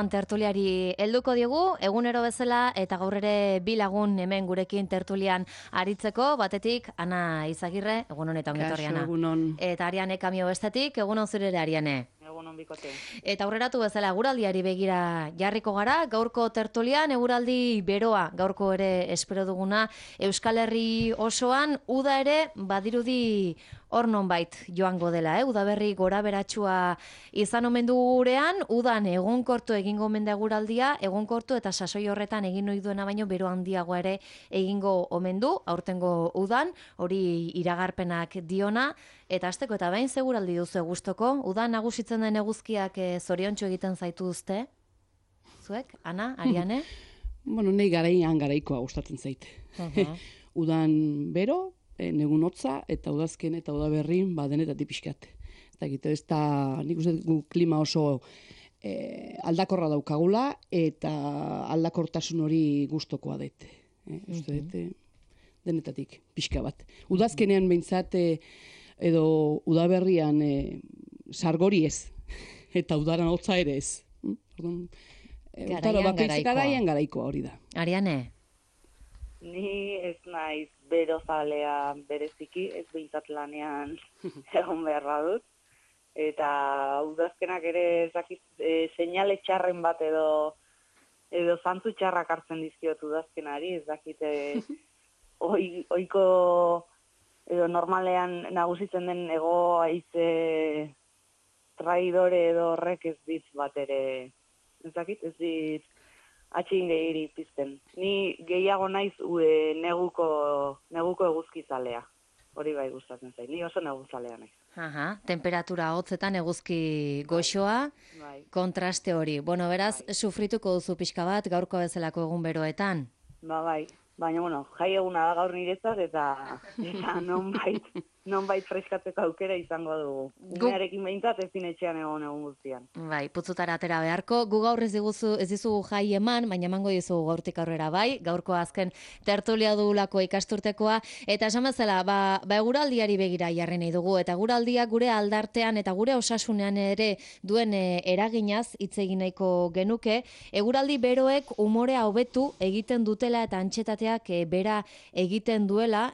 Tertuliari helduko diegu, egunero bezala eta gaur ere bi lagun hemen gurekin tertulian aritzeko, batetik Ana Izagirre, egunon eta ongetorri Ana. Egunon. Eta Ariane Kamio bestetik, egunon zure ere Ariane. Egunon bikote. Eta aurreratu bezala eguraldiari begira jarriko gara, gaurko tertulian eguraldi beroa, gaurko ere espero duguna, Euskal Herri osoan uda ere badirudi hor nonbait joango dela, udaberri gora beratsua izan omen du gurean, udan egonkortu egingo omen da eguraldia, egonkortu eta sasoi horretan egin ohi duena baino bero handiagoa ere egingo omen du, aurtengo udan, hori iragarpenak diona, eta hasteko eta behin seguraldi duzu gustoko, udan nagusitzen den eguzkiak zoriontsu egiten zaituzte? Zuek, Ana, Ariane? Bueno, nahi garaikoa gustatzen zait. Udan bero, negun hotza, eta udazken eta udaberrin denetatik pixkat. Ez da, nik uste gu klima oso aldakorra daukagula, eta aldakortasun hori gustokoa dut. Uste dut, denetatik pixka bat. Udazkenean behintzat, edo udaberrian sargori ez, eta udaran hotza ere ez. Garaian garaikoa hori da. Ariane? Ni ez naiz berozalea bereziki, ez behintzat lanean egon beharra dut. Eta udazkenak ere ezakit seinale txarren bat edo zantzu txarrak hartzen dizkiot udazkenari, ez dakite oiko edo normalean nagusitzen den ego haize traidore edo horrek ez dit bat ere, ez dakit, ez dit atxin gehiri pizten. Ni gehiago naiz neguko eguzkizalea. Hori bai gustatzen zait. Ni oso neguzalea naiz. Temperatura hotzetan eguzki goxoa, Bai. kontraste hori. Bueno, beraz, sufrituko duzu pixka bat gaurko bezalako egun beroetan. Bai. Baina, bueno, jai eguna da gaur niretzat eta nonbait freskatzeko aukera izango dugu. Umearekin behintzat ezin etxean egon guztian. Bai, putzutara atera beharko. Gu gaur ez dizugu jai eman, baina emango dizugu gaurtik aurrera bai. Gaurko azken tertulia dugulako ikasturtekoa. Eta esan bezala, eguraldiari begira jarri nahi dugu. Eta eguraldiak gure aldartean eta gure osasunean ere duen eraginaz hitz egin nahiko genuke. Eguraldi beroek umorea hobetu egiten dutela eta antxetateak bera egiten duela,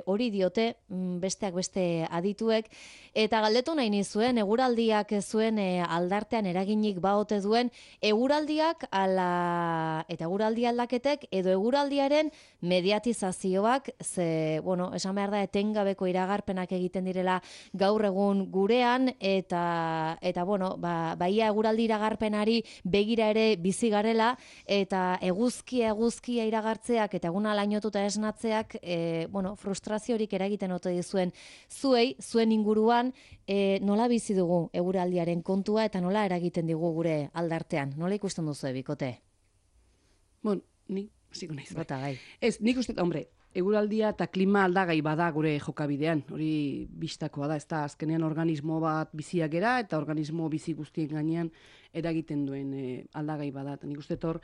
hori diote besteak beste adituek, eta galdetu nahi nizuen, eguraldiak zuen aldartean eraginik baote duen, eguraldiak eta eguraldi aldaketek edo eguraldiaren mediatizazioak, esan behar da etengabeko iragarpenak egiten direla gaur egun gurean, eta baia eguraldi iragarpenari begira ere bizi garela, eta eguzkia iragartzeak eta eguna lainotuta esnatzeak, frustraziorik eragiten ote dizuen zuen inguruan, nola bizi dugu eguraldiaren kontua eta nola eragiten digu gure aldartean? Nola ikusten duzu bikote? Bueno, nik hasiko naiz. Bai. Ez, nik uste, eguraldia eta klima aldagai bada gure jokabidean, hori bistakoa da, ez da, azkenean organismo bat biziak gera eta organismo bizi guztien gainean eragiten duen aldagai bada. Nik uste hor,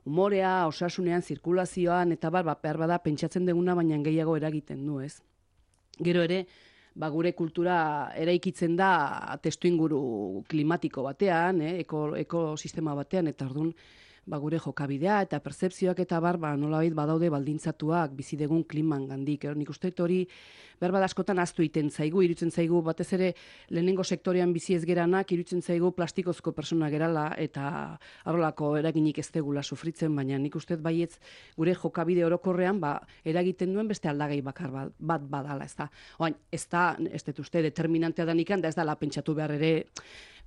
umorea, osasunean, zirkulazioan, eta behar bada pentsatzen duguna, baina gehiago eragiten du, ez? Gero ere, gure kultura eraikitzen da testuinguru klimatiko batean, ekosistema batean, eta orduan gure jokabidea eta pertzepzioak eta nolabait badaude baldintzatuak bizi dugun kliman gandik. Nik uste hori behar askotan ahaztu egiten zaigu, iruditzen zaigu batez ere lehenengo sektorean bizi ez geranak, iruditzen zaigu plastikozko persona gerala eta horrelako eraginik ez degula sufritzen, baina nik uste baietz gure jokabide orokorrean eragiten duen beste aldagai bakar bat badala, ez da. Oain, ez dut uste determinantea danikan, da ez dala pentsatu behar ere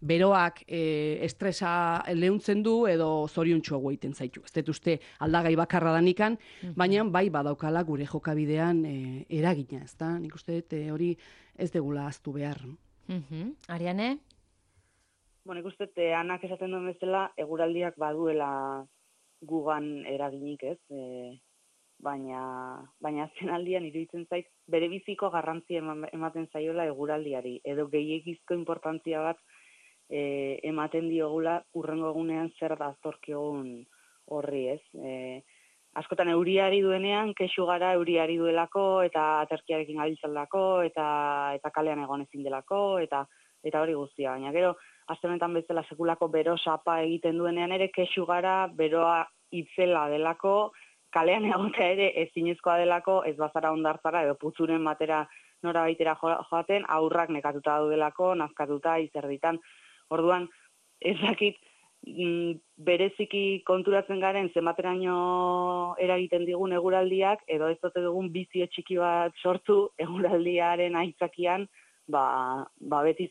beroak estresa leuntzen du edo zoriontsuago egiten zaitu. Ez dut uste aldagai bakarra danikan, baina bai badaukala gure jokabidean eragina, ez da? Nik uste dut hori ez degula ahaztu behar. Ariane? Nik uste dut Anak esaten duen bezala eguraldiak baduela gugan eraginik, ez? Baina azken aldian iruditzen zait bere biziko garrantzia ematen zaiola eguraldiari, edo gehiegizko inportantzia bat ematen diogula hurrengo egunean zer da aztorkiogun horri, ez? Askotan euriari duenean, kexu gara euriari duelako, eta aterkiarekin gabiltzalako, eta kalean egon ezin delako, eta hori guztia. Baina gero, aste honetan bezala sekulako bero sapa egiten duenean ere kexu gara beroa itzela delako, kalean egotea ere ezinezkoa delako, ez bazara ondartzara edo putzuren batera nora baitera joaten, aurrak nekatuta daudelako, nazkatuta, izerditan. Orduan, ez dakit, bereziki konturatzen garen zenbateraino eragiten digun eguraldiak, edo ez dute dugun bizio txiki bat sortu eguraldiaren aitzakian, beti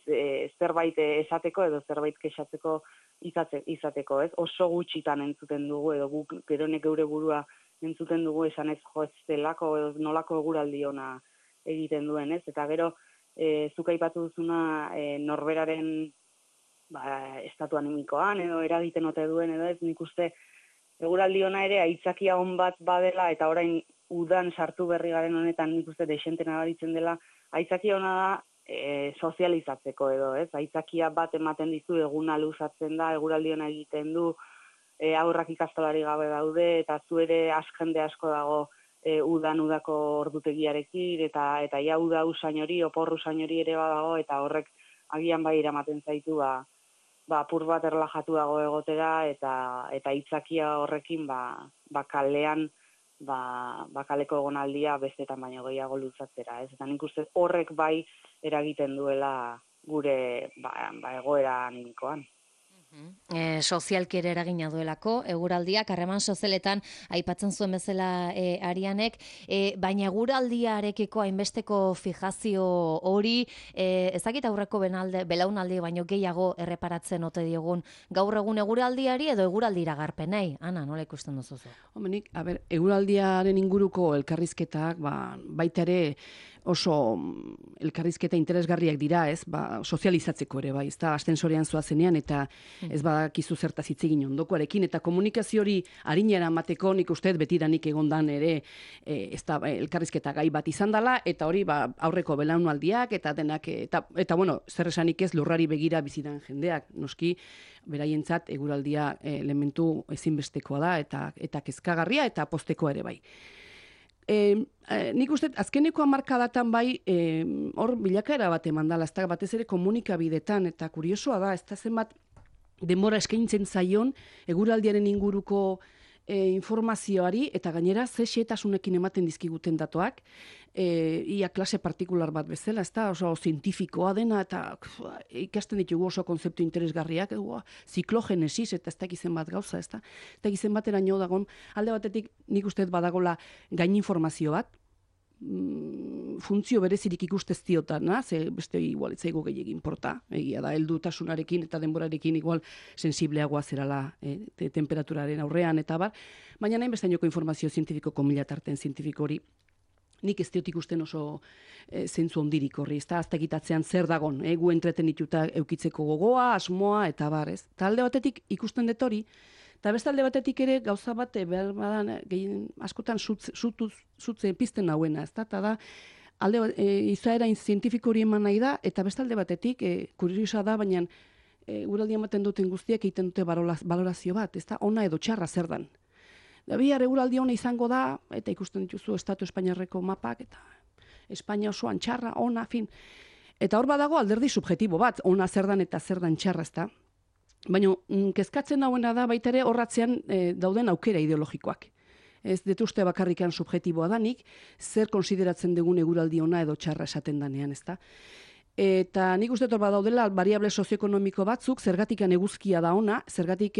zerbait esateko edo zerbait kexatzeko izateko, ez? Oso gutxitan entzuten dugu, edo guk geronek geure burua entzuten dugu esan ez jo ez delako edo nolako eguraldi ona egiten duen, ez? Eta gero, zuk aipatu duzuna norberaren estatu animikoan edo eragiten ote duen edo ez, nik uste eguraldi ona ere aitzakia on bat badela eta orain udan sartu berri garen honetan nik uste desente nabaritzen dela, aitzakia ona da sozializatzeko edo, ez? Aitzakia bat ematen dizu eguna luzatzen da, eguraldi ona egiten du, aurrak ikastolari gabe daude eta zu ere jende asko dago udako ordutegiarekin eta ja uda usain hori, opor usain hori ere badago eta horrek agian bai eramaten zaitu apur bat erlajatuago egotera eta itzakia horrekin kalean kaleko egonaldia bestetan baino gehiago luzatzera, ez? Eta nik uste horrek bai eragiten duela gure egoera animikoan. Sozialki ere eragina duelako, eguraldiak, harreman sozialetan aipatzen zuen bezala Arianek, baina eguraldiarekiko hainbesteko fijazio hori, ezakit aurreko belaunaldi baino gehiago erreparatzen ote diogun gaur egun eguraldiari edo eguraldi iragarpenei. Ana, nola ikusten duzuzu? Homenik, eguraldiaren inguruko elkarrizketak, baita ere oso elkarrizketa interesgarriak dira, ez? Sozializatzeko ere, bai, ez da, astensorean zoazenean, eta ez badakizu zertaz hitz egin ondokoarekin, eta komunikazio hori arinera emateko nik uste betidanik egondan ere ez da elkarrizketa gai bat izan dela, eta hori aurreko belaunaldiak, eta denak, eta bueno, zer esanik ez lurrari begira bizidan jendeak, noski, beraientzat eguraldia elementu ezinbestekoa da, eta kezkagarria, eta postekoa ere bai. Nik uste, azkeneko hamarkadatan bai, hor bilakaera bat eman dela, ez da batez ere komunikabidetan, eta kuriosoa da, ez da zenbat denbora eskaintzen zaion eguraldiaren inguruko informazioari, eta gainera ze xehetasunekin ematen dizkiguten datoak, ia klase partikular bat bezala, ez da, oso zientifikoa dena, eta ikasten ditugu oso konzeptu interesgarriak, ziklogenesis, eta ez dakizen bat gauza, ez da, ez dakizen batera nio dagon, alde batetik nik uste badagola gain informazio bat, funtzio berezirik ikustez diotan, ze beste igual etzaigo gehiagin porta, egia da, heldutasunarekin eta denborarekin igual sensibleagoa zerala temperaturaren aurrean eta bar, baina nahin bestainoko informazio zientifikoko milatarten zientifiko hori nik ez diot ikusten oso zentzu ondirik horri, ez da, aztegitatzean zer dagon, gu entretenituta eukitzeko gogoa, asmoa eta bar, ez? Eta alde batetik ikusten dut hori, eta beste alde batetik ere gauza bat behar badan askotan zutze pizten nauena, ez da, eta da, izaera zientifiko hori eman nahi da, eta beste alde batetik, kuriosa da, baina guraldi ematen duten guztiak egiten dute balorazio bat, ez da, ona edo txarra zer dan. Da bihar eguraldi ona izango da, eta ikusten dituzu Estatu Espainiarreko mapak, eta Espainia osoan txarra, ona, fin. Eta hor badago alderdi subjetibo bat, ona zer dan eta zer dan txarra, ez da. Baina, kezkatzen nauena da baita ere horratzean dauden aukera ideologikoak. Ez detuzte bakarrikan subjetiboa danik, zer konsideratzen dugun eguraldi ona edo txarra esaten danean, ez da. Eta nik uste torba daudela variable sozioekonomiko batzuk, zergatikan eguzkia da ona, zergatik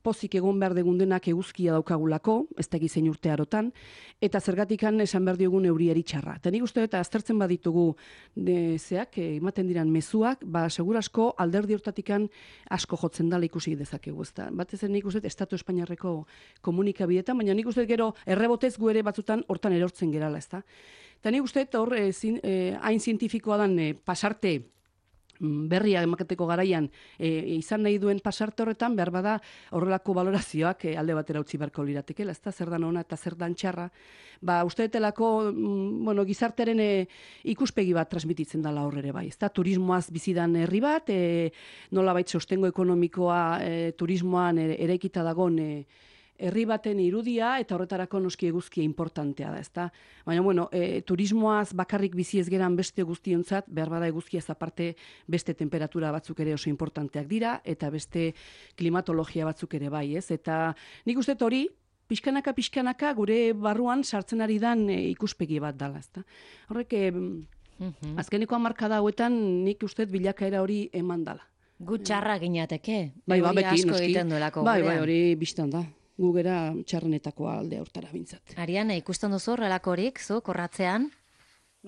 pozik egon behar degundenak eguzkia daukagulako, ez da gizein urte arotan, eta zergatikan esan behar diogun euriari txarra. Eta nik uste eta aztertzen baditugu ematen diran mezuak, segurasko alderdi hortatikan asko jotzen dala ikusi dezakegu, ez da. Batez nik uste Estatu Espainiarreko komunikabidetan, baina nik uste gero errebotez gu ere batzutan hortan erortzen gerala, ez da. Eta nik uste, hor, hain zientifikoa dan pasarte berria emaketeko garaian izan nahi duen pasarte horretan, behar bada horrelako balorazioak alde batera utzi beharko liratekela, ez da, zer dan ona eta zer dan txarra. Uste detelako, gizartearen ikuspegi bat transmititzen dela horrere bai, ez da, turismoaz bizidan herri bat, nola baita sostengo ekonomikoa turismoan eraikita dagon herri baten irudia eta horretarako noski eguzkia importantea da, ezta? Baina, bueno, turismoaz bakarrik bizi ez geran beste guztiontzat, behar bada eguzkiaz aparte beste temperatura batzuk ere oso importanteak dira, eta beste klimatologia batzuk ere bai, ez? Eta nik uste hori, pixkanaka gure barruan sartzen ari dan ikuspegi bat dala, ezta? Horrek, azkeneko hamarkada hauetan nik uste bilakaera hori eman dala. Gu txarra ginateke, Bai, hori beti, asko noski. egiten duelako. Bai, gurean. hori biztan da. Gu gera txarrenetakoa alde hortara bintzat. Ariane, ikusten duzu horrelakorik, zu, korratzean?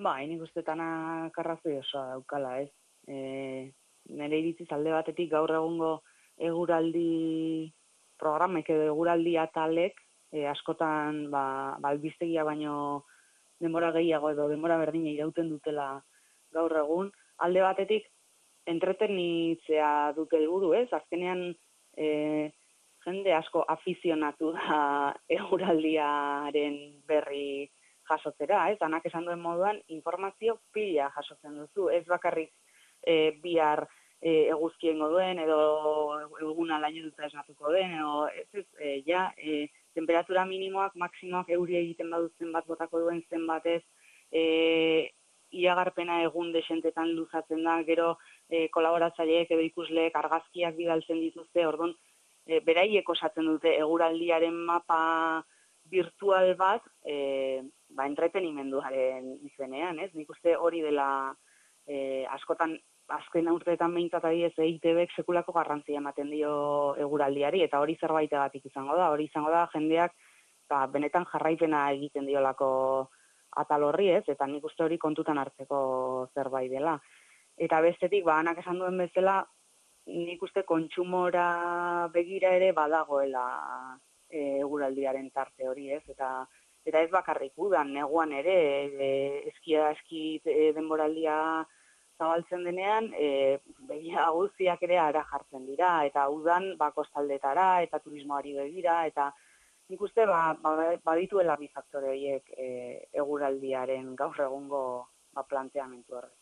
Bai, nik uste tanak arrazoi osoa daukala, ez? Nire iritziz alde batetik gaur egungo eguraldi programek edo eguraldi atalek askotan albistegia baino denbora gehiago edo denbora berdina irauten dutela gaur egun. Alde batetik entretenitzea dute helburu, ez? Azkenean jende asko afizionatu da eguraldiaren berri jasotzera, ez? Anak esan duen moduan informazio pila jasotzen duzu, ez bakarrik bihar eguzkiengo duen edo eguna laino duta esnatuko den, edo temperatura minimoak, maksimoak euri egiten badut zenbat botako duen zenbatez, iragarpena egun desentetan luzatzen da, gero kolaboratzaileek edo ikusleek argazkiak bidaltzen dituzte, orduan beraiek osatzen dute eguraldiaren mapa virtual bat, entretenimenduaren izenean, ez? Nik uste hori dela askotan azken urteetan behintzat adibidez EITBek sekulako garrantzia ematen dio eguraldiari, eta hori zerbaitegatik izango da. Hori izango da jendeak benetan jarraipena egiten diolako atal horri, ez? Eta nik uste hori kontutan hartzeko zerbait dela. Eta bestetik, anak esan duen bezala, nik uste kontsumora begira ere badagoela eguraldiaren tarte hori, ez? Eta ez bakarrik udan, neguan ere, eski denboraldia zabaltzen denean, begia guztiak ere ara jartzen dira, eta udan kostaldetara, eta turismoari begira, eta nik uste badituela bi faktore horiek eguraldiaren gaur egungo planteamendu horrek.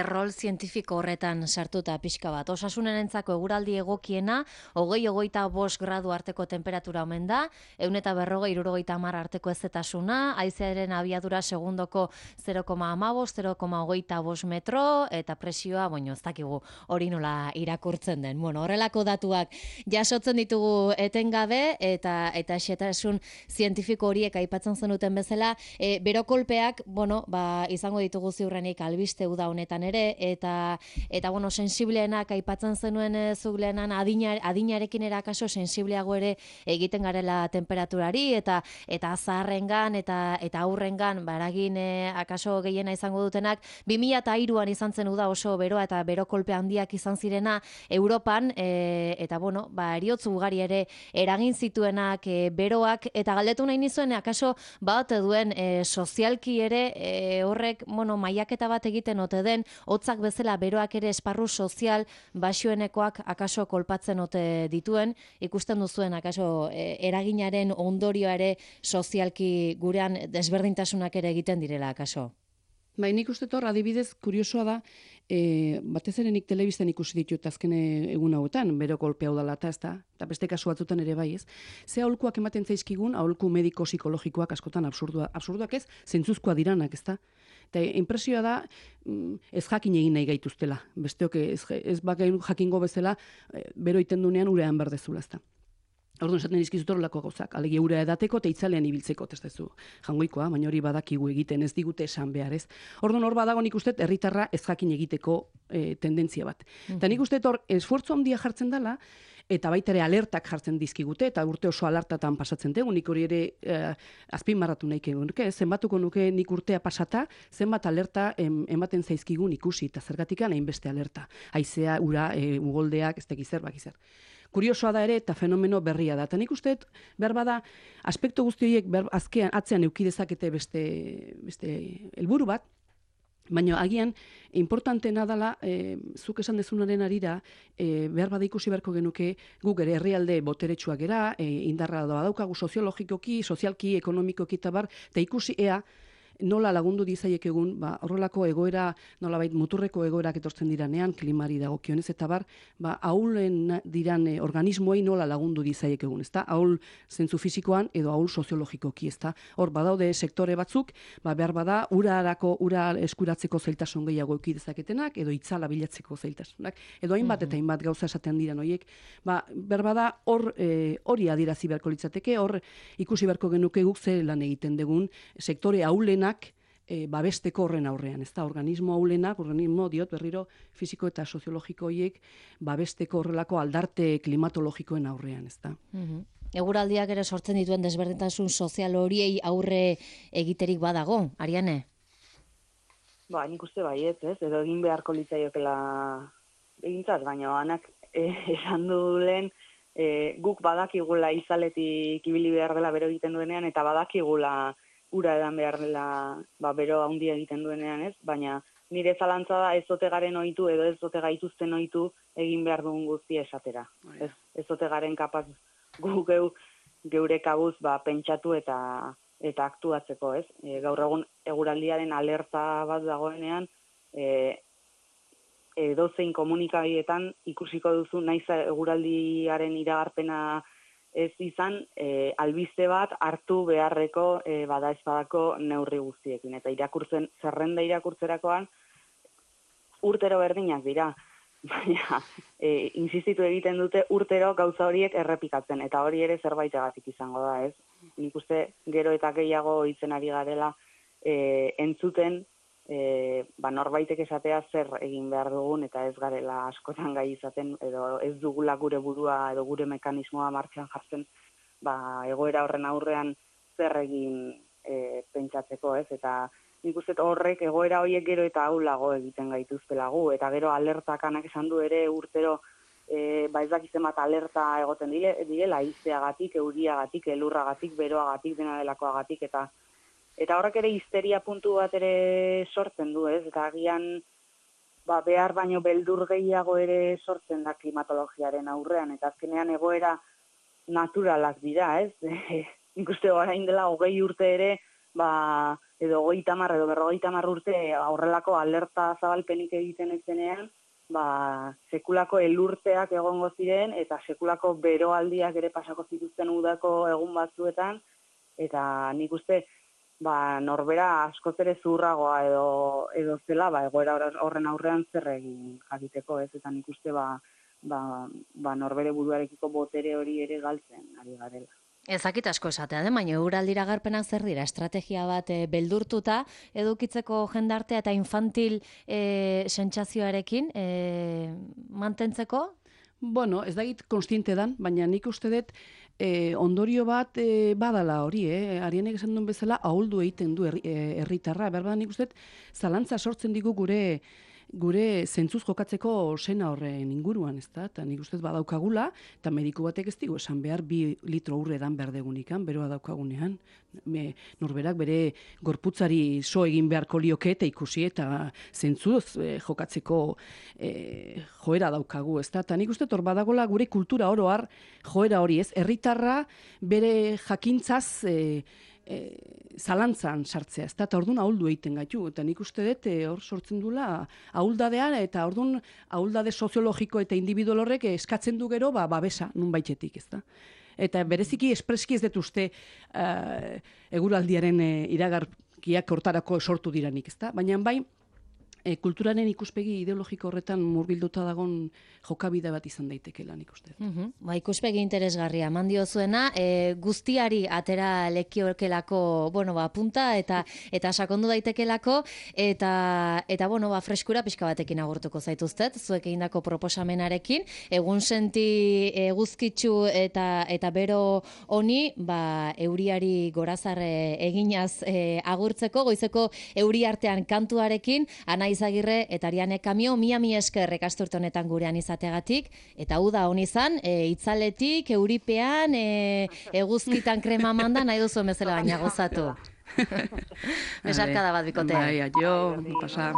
Rol zientifiko horretan sartuta pixka bat. Osasunarentzako eguraldi egokiena, 20-25 gradu arteko temperatura omen da, 140-150 arteko ezetasuna, haizearen abiadura segundoko 0,15, 0,25 metro, eta presioa, ez dakigu hori nola irakurtzen den. Horrelako datuak jasotzen ditugu etengabe, eta xetasun zientifiko horiek aipatzen zenuten bezala, berokolpeak, izango ditugu ziurrenik albiste uda honetan ere, eta sensibleenak aipatzen zenuen zuk lehenan adinarekin erakaso sensibleago ere egiten garela temperaturari, eta zaharrengan eta aurrengan eragin akaso gehiena izango dutenak 2003an izan zen uda oso beroa eta berokolpe handiak izan zirena Europan, eta eriotz ugari ere eragin zituenak beroak, eta galdetu nahi nizuen akaso bat duen sozialki ere horrek mailaketa bat egiten ote den, hotzak bezala beroak ere esparru sozial baxuenekoak akaso kolpatzen ote dituen, ikusten duzuen akaso eraginaren ondorioa ere sozialki gurean desberdintasunak ere egiten direla akaso. Nik uste hor, adibidez, kuriosoa da, batez ere nik telebistan ikusi ditut azken egun hauetan, bero kolpe hau dela eta beste kasu batzutan ere bai, ez? Ze aholkuak ematen zaizkigun, aholku mediko-psikologikoak askotan absurduak ez, zentzuzkoa diranak, ez da? Eta impresioa da, ez jakin egin nahi gaituztela. Besteok ez bakain jakingo bezala, bero iten dunean urean berdezula, ez da. Orduan esaten dizkizut horrelako gauzak, alegia ura edateko eta itzalean ibiltzeko, ez dezu jangoikoa, baina hori badakigu egiten, ez digute esan behar, ez. Orduan hor badago nik uste herritarra ez jakin egiteko tendentzia bat. Eta nik uste hor esfuerzo handia jartzen dela, eta baita ere alertak jartzen dizkigute, eta urte oso alertatan pasatzen dugu, nik hori ere azpimarratu nahi nuke, zenbatuko nuke nik urtea pasata, zenbat alerta ematen zaizkigun ikusi, eta zergatikan hainbeste alerta. Haizea, ura, ugoldeak, ez tekizer, bakizer. Kuriosoa da ere eta fenomeno berria da. Eta nik uste, behar bada, aspektu guzti horiek azkean atzean eukidezakete beste helburu bat, baina agian, importantena dela, zuk esan dezunaren arira, behar bada ikusi beharko genuke, guk ere herrialde boteretsuak gera, indarra daukagu soziologikoki, sozialki, ekonomikoki eta bar, eta ikusi ea, nola lagundu dizaiek egun, horrelako egoera, nolabait muturreko egoerak etortzen diranean, klimari dagokionez, eta ahulen diran organismoei nola lagundu dizaiek egun, ezta? Ahul zentzu fisikoan edo ahul soziologikoki, ezta? Hor, badaude sektore batzuk, behar bada, ura eskuratzeko zailtasun gehiago eduki dezaketenak, edo itzala bilatzeko zailtasunak, edo hainbat eta hainbat gauza esaten diran horiek, behar bada, hori adierazi beharko litzateke, hor ikusi beharko genuke guk ze lan egiten dugun sektore ahulenak babesteko horren aurrean, ez da, organismo ahulenak, organismo diot berriro fisiko eta soziologiko horiek babesteko horrelako aldarte klimatologikoen aurrean, ez da. Eguraldiak ere sortzen dituen desberdintasun sozial horiei aurre egiterik badago, Ariane? Nik uste baiet, ez? Edo egin beharko litzaiokela egintzat, baina anak esan du lehen, guk badakigula izaletik ibili behar dela bero egiten duenean, eta badakigula ura edan behar dela bero handia egiten duenean, ez? Baina nire zalantza da ez ote garen ohitu edo ez ote gaituzten ohitu egin behar dugun guztia esatera. Ez ote garen kapaz gu geure kabuz pentsatu eta aktuatzeko, ez? Gaur egun eguraldiaren alerta bat dagoenean, edozein komunikabietan ikusiko duzu naiz eguraldiaren iragarpena ez izan, albiste bat hartu beharreko badaezpadako neurri guztiekin. Eta zerrenda irakurtzerakoan urtero berdinak dira. Baina, insistitu egiten dute urtero gauza horiek errepikatzen, eta hori ere zerbaitegatik izango da, ez? Nik uste gero eta gehiago hitzen ari garela entzuten, norbaitek esatea zer egin behar dugun, eta ez garela askotan gai izaten, edo ez dugula gure burua edo gure mekanismoa martxan jartzen, egoera horren aurrean zer egin pentsatzeko, ez? Eta nik uste horrek egoera horiek gero eta ahulago egiten gaituztelagu, eta gero alertakanak esan du ere urtero ez dakizen bat alerta egoten direla, haizeagatik, euriagatik, elurragatik, beroagatik, dena delakoagatik, eta horrek ere histeria puntu bat ere sortzen du, ez? Eta agian behar baino beldur gehiago ere sortzen da klimatologiaren aurrean, eta azkenean egoera naturalak dira, ez? Nik uste orain dela 20 urte ere, edo 30 edo 50 urte horrelako alerta zabalpenik egiten ez denean, sekulako elurteak egongo ziren, eta sekulako beroaldiak ere pasako zituzten udako egun batzuetan, eta nik uste norbera askoz ere zurragoa edo zela, egoera horren aurrean zer egin jakiteko, ez? Eta nik uste norbere buruarekiko botere hori ere galtzen ari garela. Ezakit asko esatea, baina eguraldira garpenak zer dira, estrategia bat beldurtuta edukitzeko jendartea eta infantil sentsazioarekin mantentzeko? Bueno, ez dagit konstiente dan, baina nik uste dut ondorio bat badala hori, Arianek esan duen bezala ahuldu egiten du herritarra, behar nik uste dut zalantza sortzen digu gure zentzuz jokatzeko sena horren inguruan, ez da? Eta nik ustez badaukagula, eta mediku batek ez digu esan behar 2 litro urre edan behar degunikan, beroa daukagunean. Norberak bere gorputzari so egin beharko lioke eta ikusi eta zentzuz jokatzeko joera daukagu, ez da? Eta nik ustez hor badagola gure kultura oroar joera hori, ez? Herritarra bere jakintzaz zalantzan sartzea, ez da, eta orduan ahuldu egiten gaitu, eta nik uste dut hor sortzen dula ahuldadean, eta orduan ahuldade soziologiko eta individual horrek eskatzen du gero, babesa, nun baitetik, ez da. Eta bereziki espreski ez dut uste eguraldiaren iragarkiak hortarako sortu diranik, ez da, baina bai, kulturaren ikuspegi ideologiko horretan murbilduta dagon jokabide bat izan daitekeela nik uste. Ikuspegi interesgarria eman diozuena, guztiari atera lekiokelako, punta eta sakondu daitekelako eta freskura pixka batekin agurtuko zaituztet, zuek egindako proposamenarekin, egun senti eguzkitsu eta bero honi, euriari gorazarre eginaz agurtzeko, goizeko euri artean kantuarekin, Ana Izagirre eta Ariane Kamio, mila esker ikasturte honetan gurean izategatik, eta uda hon izan, itzaletik, euripean, eguzkitan krema manda, nahi duzu bezala baina gozatu. Besarkada bat bikote. Bai, aio, pasa.